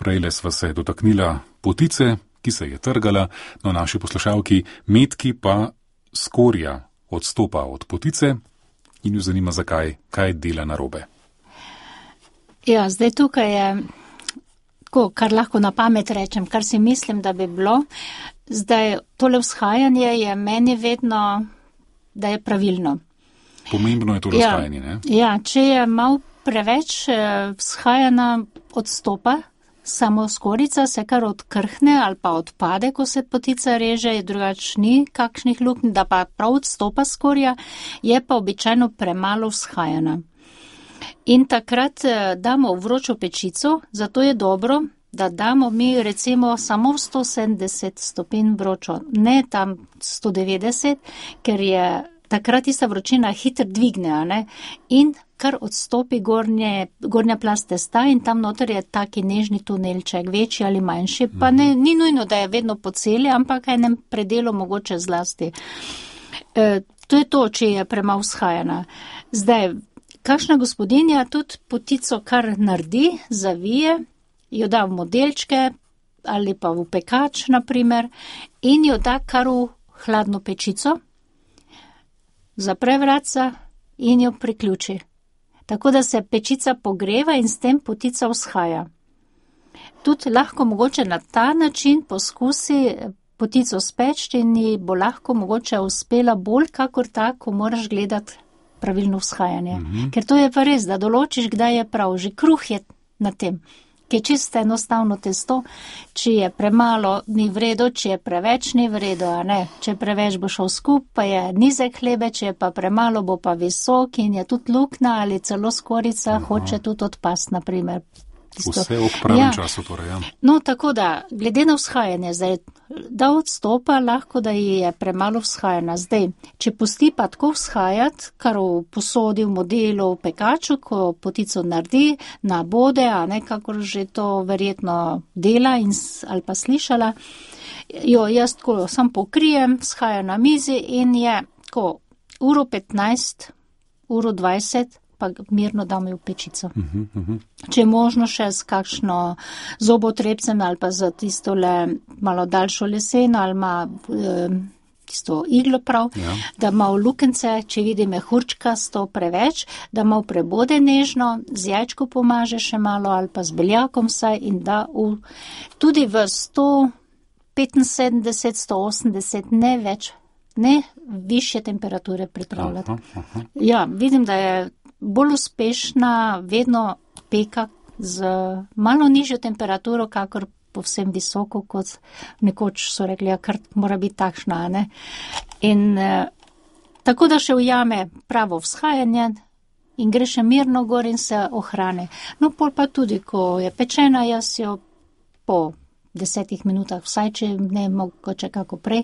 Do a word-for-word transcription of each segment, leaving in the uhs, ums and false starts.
Prejle sva se dotaknila potice, ki se je trgala, no naši poslušalki Metki pa skorja odstopa od potice in jo zanima, zakaj, kaj dela narobe. Ja, zdaj tukaj je, tako, kar lahko na pamet rečem, kar si mislim, da bi bilo, zdaj tole vzhajanje je meni vedno, da je pravilno. Pomembno je to razhajanje, ne? Ja, če je malo preveč vzhajana odstopa, samo skorica se kar odkrhne ali pa odpade, ko se potica reže, drugač ni kakšnih luknj, da pa prav odstopa skorja, je pa običajno premalo vzhajana. In takrat damo v vročo pečico, zato je dobro, da damo mi recimo samo v sto sedemdeset stopinj vročo, ne tam sto devetdeset, ker je takrat tista vročina hitro dvigne, ne? In kar odstopi gornje, gornja plast testa in tam noter je taki nežni tunelček, večji ali manjši, pa ne, ni nujno, da je vedno po celi, ampak enem predelu mogoče zlasti. E, to je to, če je premalo vzhajana. Zdaj, kakšna gospodinja tudi potico kar naredi, zavije, jo da v modelčke ali pa v pekač, naprimer, in jo da kar v hladno pečico, zapre vratca in jo priključi. Tako da se pečica pogreva in s tem potica vzhaja. Tudi lahko mogoče na ta način poskusi potico speči in ji bo lahko mogoče uspela bolj kakor ta, ko moraš gledati pravilno vzhajanje. Mm-hmm. Ker to je pa res, da določiš, kdaj je prav. Že kruh je na tem, ki je čisto enostavno testo. Če je premalo, ni vredo, če je preveč, ni vredo, a ne. Če preveč bo šel skup, pa je nizek hlebe, če je pa premalo, bo pa visok in je tudi lukna ali celo skorica, Aha. hoče tudi odpast, naprimer. Tisto. Vse ob pravem ja. času torej, ja. No, tako da, glede na vzhajanje, zdaj, da odstopa, lahko, da je premalo vzhajana. Zdaj, če pusti pa tako vzhajati, kar v posodi, v modelu, v pekaču, ko potico naredi, nabode, a ne, kakor že to verjetno dela in, ali pa slišala, jo jaz tako sam pokrijem, vzhaja na mizi in je tako uro petnajst, uro dvajset, pa mirno dam v pečico. Uh-huh, uh-huh. Če je možno še s kakšno zobotrebcem ali pa za tistole malo daljšo leseno ali ima eh, tisto iglo prav, ja. Da ima v lukence, če vidi mehurčka sto preveč, da ima v prebode nežno, z jajčko pomaže še malo ali pa z beljakom vsaj in da v, tudi v sto petinsedemdeset, sto osemdeset, ne več, ne višje temperature pripravljati. Aha, aha. Ja, vidim, da je bolj uspešna vedno peka z malo nižjo temperaturo, kakor povsem visoko, kot nekoč so rekli, ja, kar mora biti takšna, ne. In eh, tako da še ujame pravo vzhajanje in gre še mirno gor in se ohrane. No, pol pa tudi, ko je pečena, jaz jo po desetih minutah, vsaj če ne mogoče kako prej,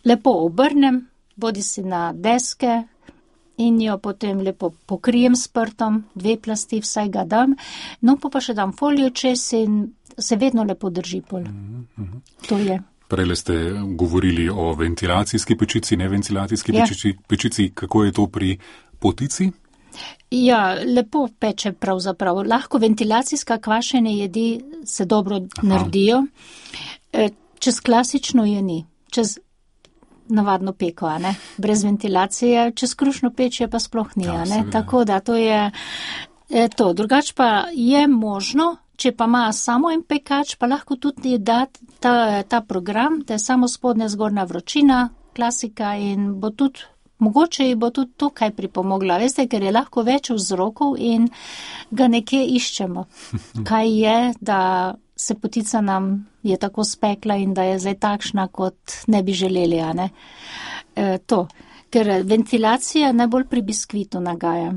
lepo obrnem, bodi si na deske, in jo potem lepo pokrijem s prtom, dve plasti vsaj ga dam, no pa pa še dam folijo čez in se vedno lepo drži pol. Mm-hmm. To je. Prejle ste govorili o ventilacijski pečici, ne ventilacijski ja. pečici, pečici, kako je to pri potici? Ja, lepo peče pravzaprav. Lahko ventilacijska kvašene jedi se dobro Aha. naredijo, čez klasično je ni, čez navadno peko, a ne, brez ventilacije, čez krušno peč je pa sploh ni, a ne, tako da to je e, to. Drugač pa je možno, če pa ima samo en pekač, pa lahko tudi da ta, ta program, da je samo spodnja zgornja vročina, klasika in bo tudi, mogoče ji bo tudi to kaj pripomogla, veste, ker je lahko več vzrokov in ga nekje iščemo, kaj je, da se potica nam je tako spekla in da je zdaj takšna, kot ne bi želeli, a ne. E, to, ker ventilacija najbolj pri biskvitu nagaja.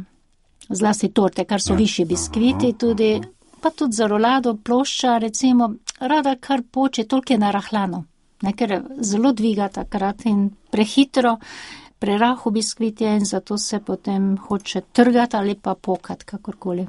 Zlasti torte, kar so višji biskviti, tudi, pa tudi za rolado, plošča, recimo, rada kar poče, toliko je narahlano, ne, ker zelo dviga takrat in prehitro, prerahu biskvit je in zato se potem hoče trgati ali pa pokati, kakorkoli.